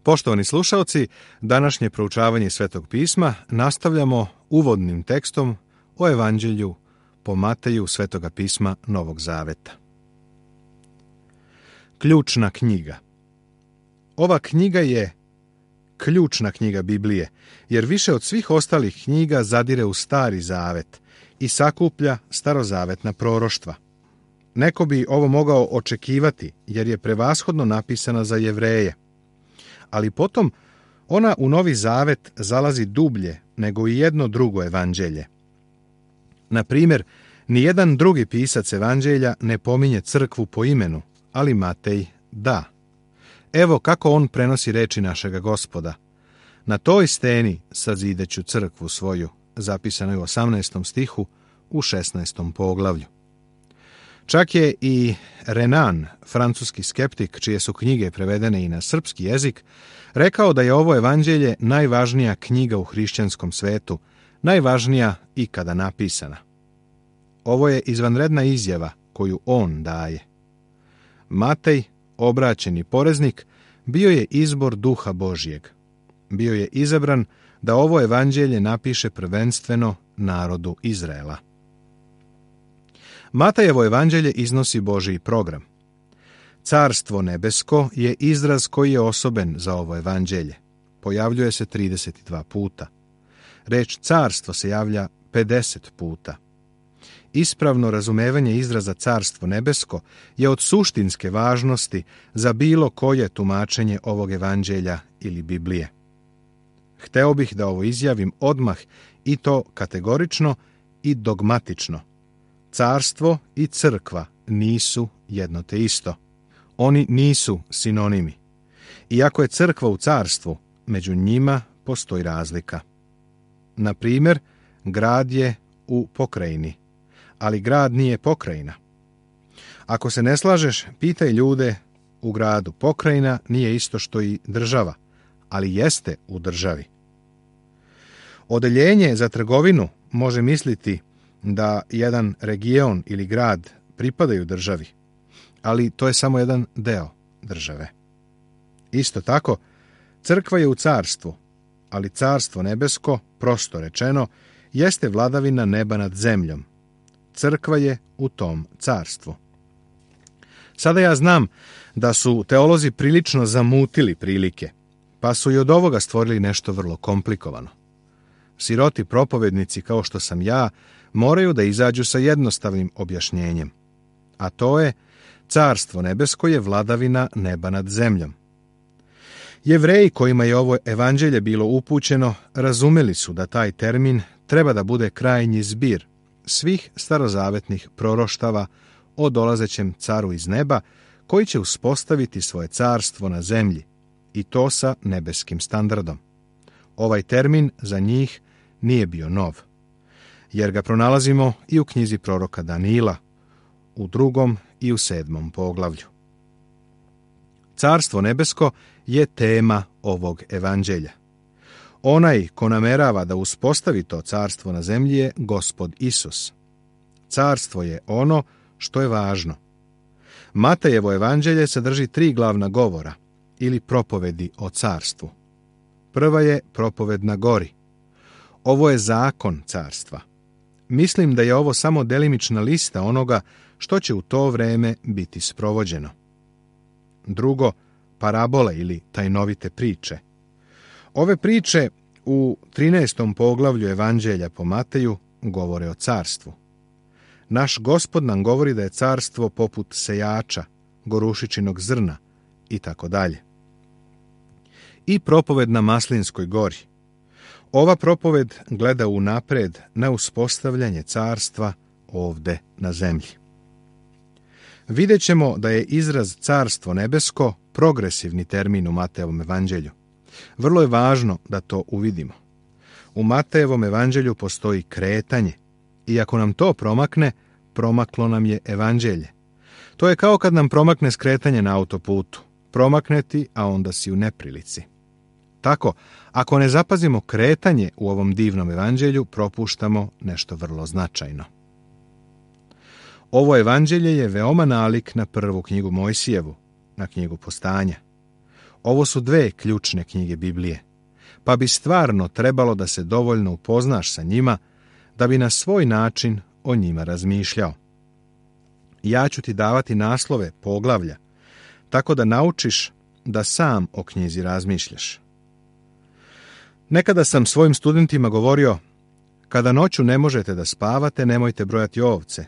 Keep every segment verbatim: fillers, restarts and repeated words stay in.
Poštovani slušalci, današnje proučavanje Svetog pisma nastavljamo uvodnim tekstom o Evanđelju po Mateju Svetoga pisma Novog Zaveta. Ključna knjiga. Ova knjiga je ključna knjiga Biblije, jer više od svih ostalih knjiga zadire u Stari Zavet i sakuplja starozavetna proroštva. Neko bi ovo mogao očekivati, jer je prevashodno napisana za Jevreje. Ali potom ona u Novi Zavet zalazi dublje nego i jedno drugo evanđelje. Na primjer, nijedan drugi pisac evanđelja ne pominje crkvu po imenu, ali Matej da. Evo kako on prenosi reči našega Gospoda. Na toj steni sazideću crkvu svoju, zapisano je u osamnaestom stihu u šesnaestom poglavlju. Čak je i Renan, francuski skeptik, čije su knjige prevedene i na srpski jezik, rekao da je ovo evanđelje najvažnija knjiga u hrišćanskom svetu, najvažnija ikada napisana. Ovo je izvanredna izjava koju on daje. Matej, obraćeni poreznik, bio je izbor Duha Božjeg. Bio je izabran da ovo evanđelje napiše prvenstveno narodu Izraela. Matejevo evanđelje iznosi Božji program. Carstvo nebesko je izraz koji je osoben za ovo evanđelje. Pojavljuje se trideset dva puta. Reč carstvo se javlja pedeset puta. Ispravno razumevanje izraza carstvo nebesko je od suštinske važnosti za bilo koje tumačenje ovog evanđelja ili Biblije. Hteo bih da ovo izjavim odmah i to kategorično i dogmatično. Carstvo i crkva nisu jedno te isto. Oni nisu sinonimi. Iako je crkva u carstvu, među njima postoji razlika. Na primjer, grad je u pokrajini, ali grad nije pokrajina. Ako se ne slažeš, pitaj ljude u gradu. Pokrajina nije isto što i država, ali jeste u državi. Odeljenje za trgovinu može misliti da jedan region ili grad pripadaju državi, ali to je samo jedan deo države. Isto tako, crkva je u carstvu, ali carstvo nebesko, prosto rečeno, jeste vladavina neba nad zemljom. Crkva je u tom carstvu. Sada ja znam da su teolozi prilično zamutili prilike, pa su i od ovoga stvorili nešto vrlo komplikovano. Siroti propovednici, kao što sam ja, moraju da izađu sa jednostavnim objašnjenjem, a to je carstvo nebesko je vladavina neba nad zemljom. Jevreji kojima je ovo evanđelje bilo upućeno razumeli su da taj termin treba da bude krajnji zbir svih starozavetnih proroštava o dolazećem caru iz neba koji će uspostaviti svoje carstvo na zemlji i to sa nebeskim standardom. Ovaj termin za njih nije bio nov, jer ga pronalazimo i u knjizi proroka Danila, u drugom i u sedmom poglavlju. Carstvo nebesko je tema ovog evanđelja. Onaj ko namerava da uspostavi to carstvo na zemlji je Gospod Isus. Carstvo je ono što je važno. Matejevo evanđelje sadrži tri glavna govora ili propovedi o carstvu. Prva je propoved na gori. Ovo je zakon carstva. Mislim da je ovo samo delimična lista onoga što će u to vreme biti sprovođeno. Drugo, parabole ili tajnovite priče. Ove priče u trinaestom poglavlju Evanđelja po Mateju govore o carstvu. Naš Gospod nam govori da je carstvo poput sejača, gorušičinog zrna i tako dalje. I propoved na Maslinskoj gori. Ova propoved gleda unapred na uspostavljanje carstva ovde na zemlji. Vidjet ćemo da je izraz carstvo nebesko progresivni termin u Matejevom evanđelju. Vrlo je važno da to uvidimo. U Matejevom evanđelju postoji kretanje i ako nam to promakne, promaklo nam je evanđelje. To je kao kad nam promakne skretanje na autoputu. Promakne ti, a onda si u neprilici. Tako, ako ne zapazimo kretanje u ovom divnom evanđelju, propuštamo nešto vrlo značajno. Ovo evanđelje je veoma nalik na prvu knjigu Mojsijevu, na knjigu Postanja. Ovo su dve ključne knjige Biblije, pa bi stvarno trebalo da se dovoljno upoznaš sa njima, da bi na svoj način o njima razmišljao. Ja ću ti davati naslove poglavlja, tako da naučiš da sam o knjizi razmišljaš. Nekada sam svojim studentima govorio, kada noću ne možete da spavate, nemojte brojati ovce.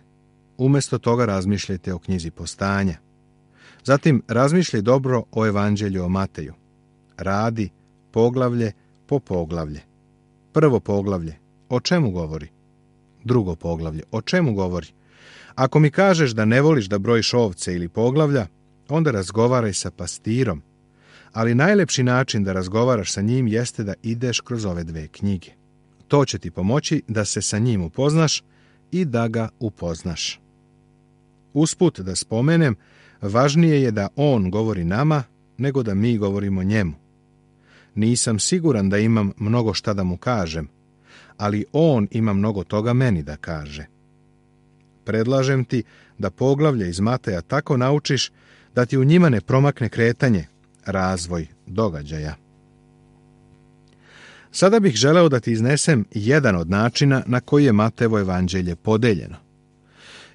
Umjesto toga razmišljajte o knjizi Postanja. Zatim razmišljaj dobro o Evanđelju o Mateju. Radi poglavlje po poglavlje. Prvo poglavlje, o čemu govori? Drugo poglavlje, o čemu govori? Ako mi kažeš da ne voliš da brojiš ovce ili poglavlja, onda razgovaraj sa pastirom. Ali najlepši način da razgovaraš sa njim jeste da ideš kroz ove dve knjige. To će ti pomoći da se sa njim upoznaš i da ga upoznaš. Usput da spomenem, važnije je da on govori nama nego da mi govorimo njemu. Nisam siguran da imam mnogo šta da mu kažem, ali on ima mnogo toga meni da kaže. Predlažem ti da poglavlje iz Mateja tako naučiš da ti u njima ne promakne kretanje, razvoj događaja. Sada bih želeo da ti iznesem jedan od načina na koji je Matejevo evanđelje podeljeno.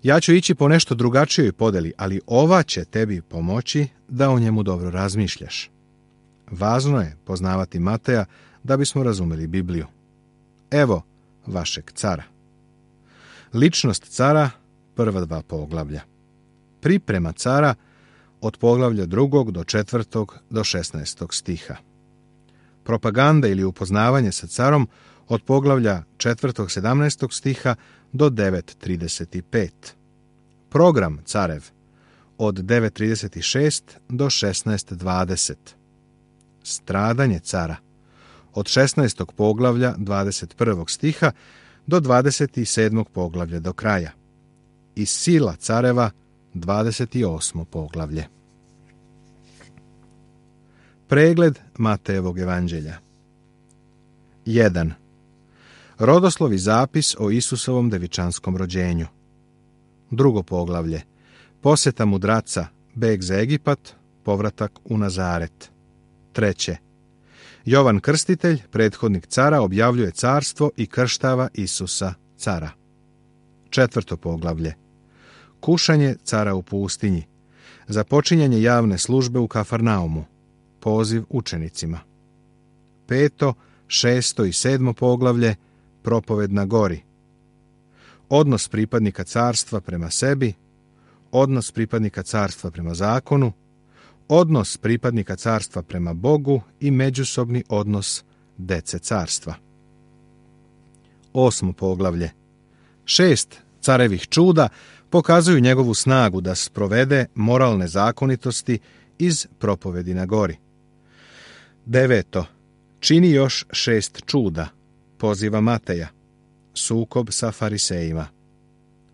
Ja ću ići po nešto drugačijoj podeli, ali ova će tebi pomoći da o njemu dobro razmišljaš. Važno je poznavati Mateja da bismo razumeli Bibliju. Evo vašeg cara. Ličnost cara, prva dva poglavlja. Priprema cara od poglavlja drugog do četvrtog do šesnaestog stiha. Propaganda ili upoznavanje sa carom od poglavlja četvrtog sedamnaestog stiha do devet trideset pet. Program carev od devet trideset šest do šesnaest dvadeset. Stradanje cara od šesnaestog poglavlja dvadeset prvog stiha do dvadeset sedmog poglavlja do kraja. I sila careva dvadeset osmo poglavlje. Pregled Matejevog evanđelja. jedan. Rodoslovi zapis o Isusovom devičanskom rođenju. Drugo poglavlje. Posjeta mudraca, beg za Egipat, povratak u Nazaret. Treće. Jovan Krstitelj, prethodnik cara, objavljuje carstvo i krštava Isusa, cara. Četvrto poglavlje. Kušanje cara u pustinji. Započinjanje javne službe u Kafarnaumu. Poziv učenicima. Peto, šesto i sedmo poglavlje. Propoved na gori. Odnos pripadnika carstva prema sebi. Odnos pripadnika carstva prema zakonu. Odnos pripadnika carstva prema Bogu i međusobni odnos dece carstva. Osmo poglavlje. Šest carevih čuda pokazuju njegovu snagu da sprovede moralne zakonitosti iz propovedi na gori. Deveto. Čini još šest čuda. Poziva Mateja. Sukob sa farisejima.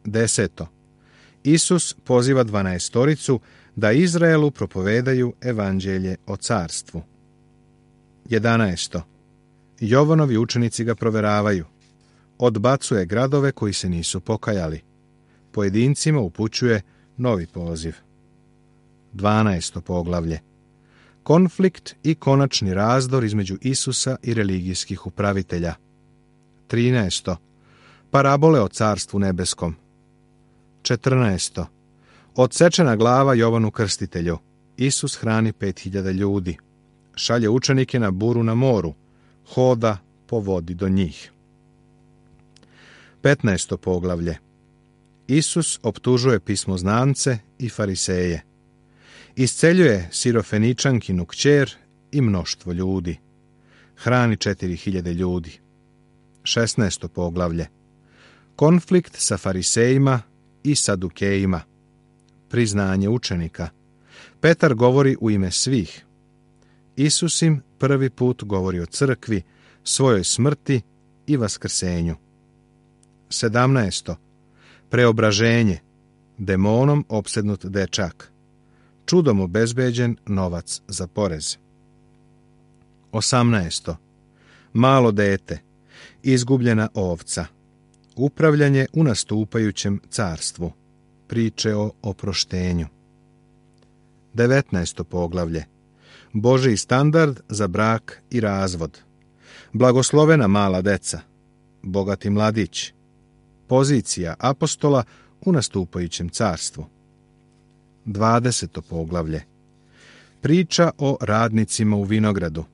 Deseto. Isus poziva dvanaestoricu da Izraelu propovedaju evanđelje o carstvu. Jedanaesto. Jovanovi učenici ga proveravaju. Odbacuje gradove koji se nisu pokajali. Pojedincima upućuje novi poziv. Dvanaesto poglavlje. Konflikt i konačni razdor između Isusa i religijskih upravitelja. Trinaesto. Parabole o carstvu nebeskom. Četrnaesto. Odsečena glava Jovanu Krstitelju. Isus hrani pet hiljada ljudi. Šalje učenike na buru na moru. Hoda po vodi do njih. Petnaesto poglavlje. Isus optužuje pismoznance i fariseje. Isceljuje Sirofeničankinu kćer i mnoštvo ljudi. Hrani četiri hiljade ljudi. Šesnaesto poglavlje. Konflikt sa farisejima i sadukejima. Priznanje učenika. Petar govori u ime svih. Isus im prvi put govori o crkvi, svojoj smrti i vaskrsenju. Sedamnaesto. Preobraženje. Demonom opsednut dečak. Čudom obezbeđen novac za porez. Osamnaesto. Malo dete. Izgubljena ovca. Upravljanje u nastupajućem carstvu. Priče o oproštenju. Devetnaesto poglavlje. Božji standard za brak i razvod, blagoslovena mala deca, bogati mladić, pozicija apostola u nastupajućem carstvu. dvadeseto poglavlje. Priča o radnicima u vinogradu.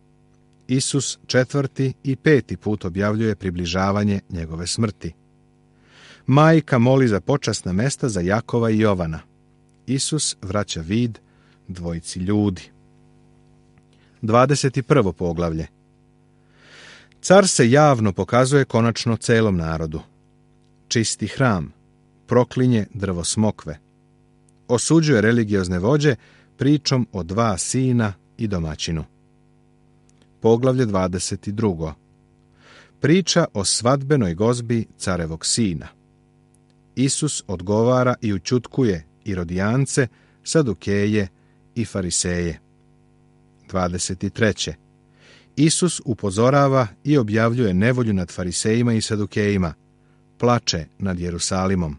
Isus četvrti i peti put objavljuje približavanje njegove smrti. Majka moli za počasna mesta za Jakova i Jovana. Isus vraća vid dvojici ljudi. dvadeset prvo poglavlje. Car se javno pokazuje konačno celom narodu. Čisti hram, proklinje drvo smokve. Osuđuje religiozne vođe pričom o dva sina i domaćinu. Poglavlje dvadeset drugo. Priča o svadbenoj gozbi carevog sina. Isus odgovara i ućutkuje Irodijance, Sadukeje i Fariseje. dvadeset treće. Isus upozorava i objavljuje nevolju nad Farisejima i Sadukejima, plače nad Jerusalimom.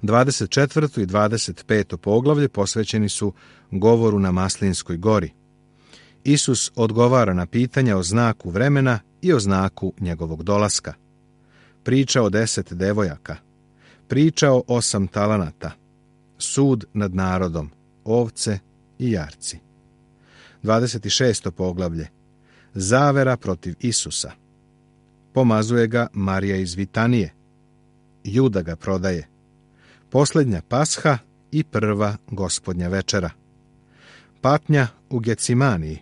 dvadeset četvrto i dvadeset peto poglavlje posvećeni su govoru na Maslinskoj gori. Isus odgovara na pitanja o znaku vremena i o znaku njegovog dolaska. Priča o deset devojaka. Priča o osam talanata. Sud nad narodom, ovce i jarci. dvadeset šesto poglavlje. Zavera protiv Isusa. Pomazuje ga Marija iz Vitanije. Juda ga prodaje. Posljednja pasha i prva gospodnja večera. Patnja u Gecimaniji.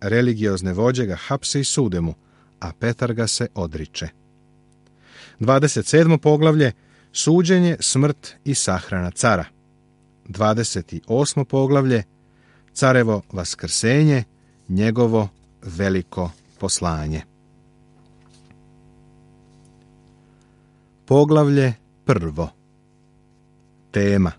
Religiozne vođe ga hapse i sude mu, a Petar ga se odriče. dvadeset sedmo poglavlje. Suđenje, smrt i sahrana cara. dvadeset osmo poglavlje. Carevo vaskrsenje, njegovo veliko poslanje. Poglavlje prvo. Tema.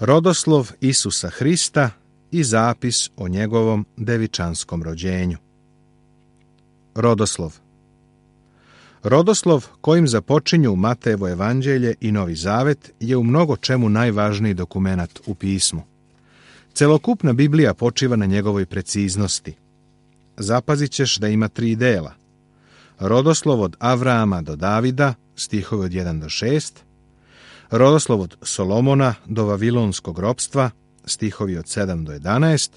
Rodoslov Isusa Hrista i zapis o njegovom devičanskom rođenju. Rodoslov. Rodoslov kojim započinju Matejevo evanđelje i Novi Zavet je u mnogo čemu najvažniji dokumenat u pismu. Celokupna Biblija počiva na njegovoj preciznosti. Zapazit ćeš da ima tri dela. Rodoslov od Avrama do Davida, stihovi od jedan do šest, rodoslov od Solomona do Vavilonskog ropstva, stihovi od sedam do jedanaest,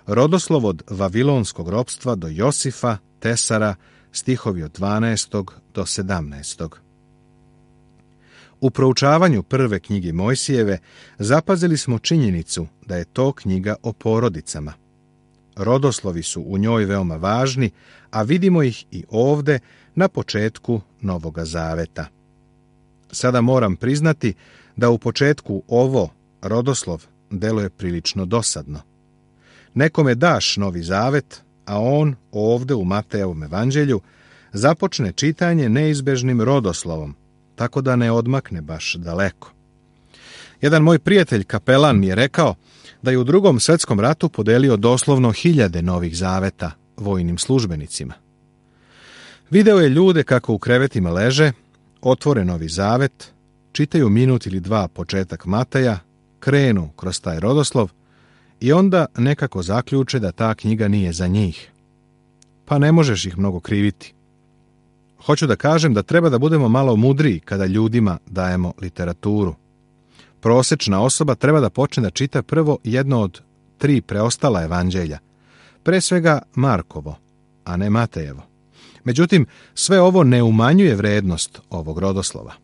rodoslov od Vavilonskog ropstva do Josifa, Tesara, stihovi od dvanaest do sedamnaest. U proučavanju prve knjige Mojsijeve zapazili smo činjenicu da je to knjiga o porodicama. Rodoslovi su u njoj veoma važni, a vidimo ih i ovde na početku Novoga Zaveta. Sada moram priznati da u početku ovo, rodoslov, deluje prilično dosadno. Nekome daš Novi Zavet, a on ovde u Matejevom evanđelju započne čitanje neizbežnim rodoslovom, tako da ne odmakne baš daleko. Jedan moj prijatelj kapelan mi je rekao da je u Drugom svjetskom ratu podelio doslovno hiljade Novih Zaveta vojnim službenicima. Video je ljude kako u krevetima leže, otvore Novi Zavet, čitaju minut ili dva početak Mateja, krenu kroz taj rodoslov i onda nekako zaključe da ta knjiga nije za njih. Pa ne možeš ih mnogo kriviti. Hoću da kažem da treba da budemo malo mudriji kada ljudima dajemo literaturu. Prosečna osoba treba da počne da čita prvo jedno od tri preostala evanđelja, pre svega Markovo, a ne Matejevo. Međutim, sve ovo ne umanjuje vrednost ovog rodoslova.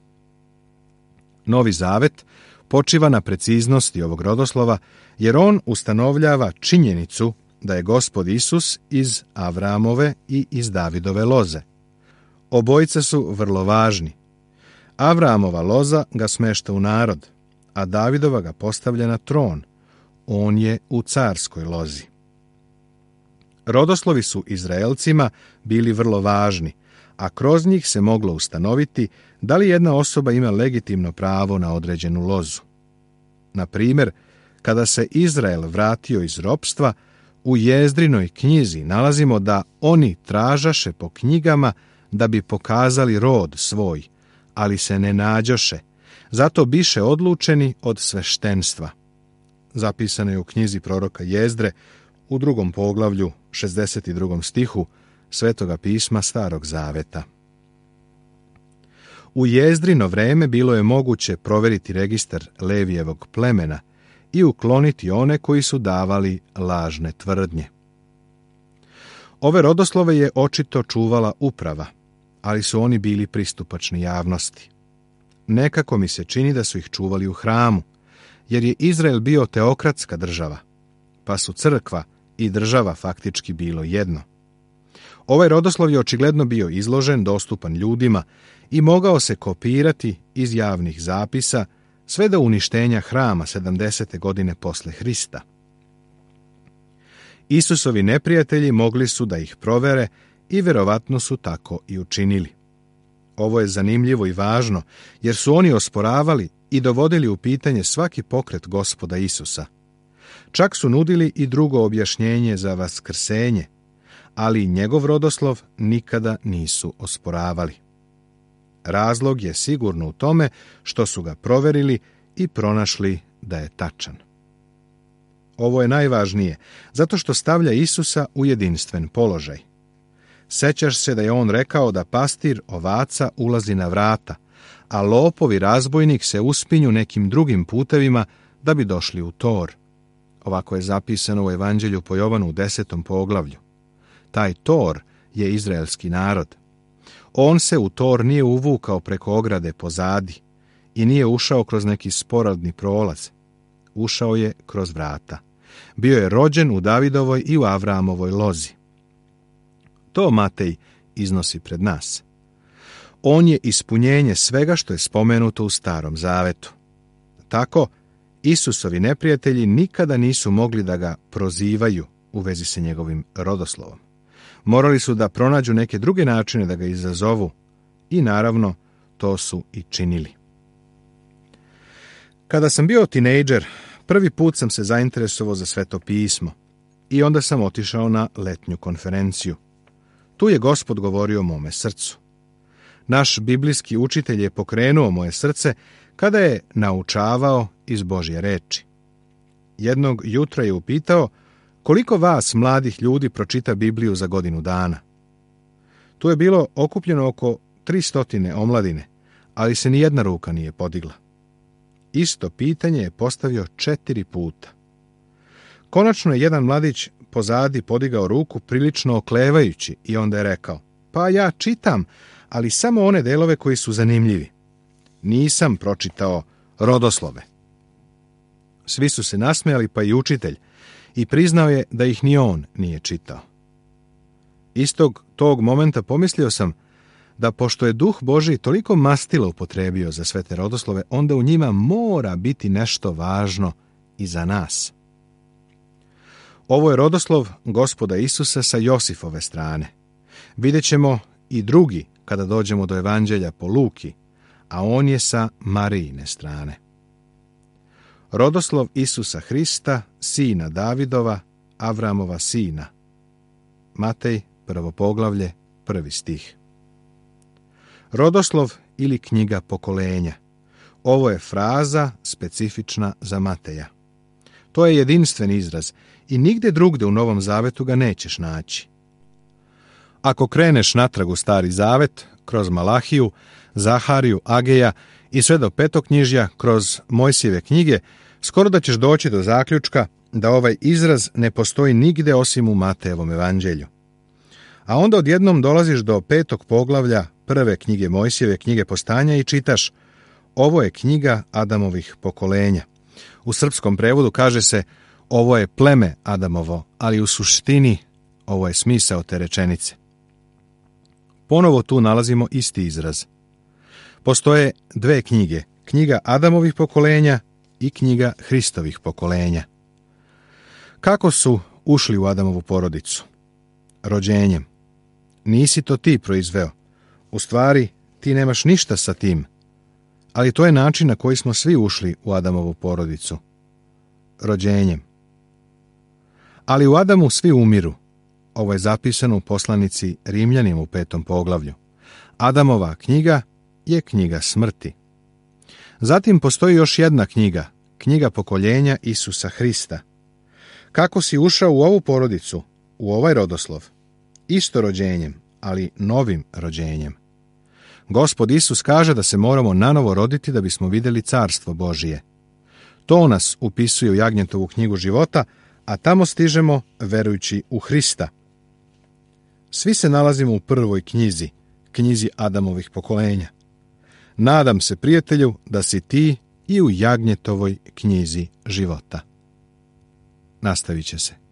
Novi Zavet počiva na preciznosti ovog rodoslova, jer on ustanovljava činjenicu da je Gospod Isus iz Avramove i iz Davidove loze. Obojica su vrlo važni. Avramova loza ga smešta u narod, a Davidova ga postavlja na tron. On je u carskoj lozi. Rodoslovi su Izraelcima bili vrlo važni, a kroz njih se moglo ustanoviti da li jedna osoba ima legitimno pravo na određenu lozu. Na primjer, kada se Izrael vratio iz ropstva, u Jezdrinoj knjizi nalazimo da oni tražaše po knjigama da bi pokazali rod svoj, ali se ne nađoše, zato biše odlučeni od sveštenstva. zapisana je u knjizi proroka Jezdre u drugom poglavlju, šezdeset drugom stihu Svetoga pisma Starog Zaveta. U Jezdrino vreme bilo je moguće provjeriti registar Levijevog plemena i ukloniti one koji su davali lažne tvrdnje. Ove rodoslove je očito čuvala uprava, ali su oni bili pristupačni javnosti. Nekako mi se čini da su ih čuvali u hramu, jer je Izrael bio teokratska država, pa su crkva i država faktički bilo jedno. Ovaj rodoslov je očigledno bio izložen, dostupan ljudima i mogao se kopirati iz javnih zapisa sve do uništenja hrama sedamdesete godine posle Hrista. Isusovi neprijatelji mogli su da ih provere i vjerovatno su tako i učinili. Ovo je zanimljivo i važno, jer su oni osporavali i dovodili u pitanje svaki pokret Gospoda Isusa. Čak su nudili i drugo objašnjenje za vaskrsenje, ali njegov rodoslov nikada nisu osporavali. Razlog je sigurno u tome što su ga proverili i pronašli da je tačan. Ovo je najvažnije, zato što stavlja Isusa u jedinstven položaj. Sećaš se da je on rekao da pastir ovaca ulazi na vrata, a lopov i razbojnik se uspinju nekim drugim putevima da bi došli u tor. Ovako je zapisano u Evanđelju po Jovanu u desetom poglavlju. Taj tor je izraelski narod. On se u tor nije uvukao preko ograde pozadi i nije ušao kroz neki sporadni prolaz. Ušao je kroz vrata. Bio je rođen u Davidovoj i u Avramovoj lozi. To Matej iznosi pred nas. On je ispunjenje svega što je spomenuto u Starom Zavetu. Tako, Isusovi neprijatelji nikada nisu mogli da ga prozivaju u vezi sa njegovim rodoslovom. Morali su da pronađu neke druge načine da ga izazovu i naravno to su i činili. Kada sam bio tinejdžer, prvi put sam se zainteresovao za Sveto pismo i onda sam otišao na letnju konferenciju. Tu je Gospod govorio o mome srcu. Naš biblijski učitelj je pokrenuo moje srce kada je naučavao iz Božje reči. Jednog jutra je upitao koliko vas, mladih ljudi, pročita Bibliju za godinu dana. Tu je bilo okupljeno oko tristotine omladine, ali se ni jedna ruka nije podigla. Isto pitanje je postavio četiri puta. Konačno je jedan mladić pozadi podigao ruku prilično oklevajući i onda je rekao: pa ja čitam, ali samo one delove koji su zanimljivi. Nisam pročitao rodoslove. Svi su se nasmejali, pa i učitelj, i priznao je da ih ni on nije čitao. Istog tog momenta pomislio sam da pošto je Duh Božji toliko mastila upotrebio za sve te rodoslove, onda u njima mora biti nešto važno i za nas. Ovo je rodoslov Gospoda Isusa sa Josifove strane. Vidjet ćemo i drugi kada dođemo do Evanđelja po Luki, a on je sa Marijine strane. Rodoslov Isusa Hrista, sina Davidova, Avramova sina. Matej, prvo poglavlje, prvi stih. Rodoslov ili knjiga pokolenja. Ovo je fraza specifična za Mateja. To je jedinstven izraz i nigde drugde u Novom Zavetu ga nećeš naći. Ako kreneš natrag u Stari Zavet, kroz Malahiju, Zahariju, Ageja i sve do Petoknjižja, kroz Mojsijeve knjige, skoro da ćeš doći do zaključka da ovaj izraz ne postoji nigde osim u Matejevom evanđelju. A onda odjednom dolaziš do petog poglavlja prve knjige Mojsijeve, knjige Postanja, i čitaš: ovo je knjiga Adamovih pokolenja. U srpskom prevodu kaže se: ovo je pleme Adamovo, ali u suštini ovo je smisao te rečenice. Ponovo tu nalazimo isti izraz. Postoje dve knjige, knjiga Adamovih pokolenja i knjiga Hristovih pokolenja. Kako su ušli u Adamovu porodicu? Rođenjem. Nisi to ti proizveo. U stvari, ti nemaš ništa sa tim. Ali to je način na koji smo svi ušli u Adamovu porodicu. Rođenjem. Ali u Adamu svi umiru. Ovo je zapisano u poslanici Rimljanima u petom poglavlju. Adamova knjiga je knjiga smrti. Zatim postoji još jedna knjiga, knjiga pokoljenja Isusa Hrista. Kako si ušao u ovu porodicu, u ovaj rodoslov? Isto rođenjem, ali novim rođenjem. Gospod Isus kaže da se moramo nanovo roditi da bismo vidjeli carstvo Božije. To nas upisuje u Jagnjetovu knjigu života, a tamo stižemo verujući u Hrista. Svi se nalazimo u prvoj knjizi, knjizi Adamovih pokolenja. Nadam se, prijatelju, da si ti i u Jagnjetovoj knjizi života. Nastavit će se.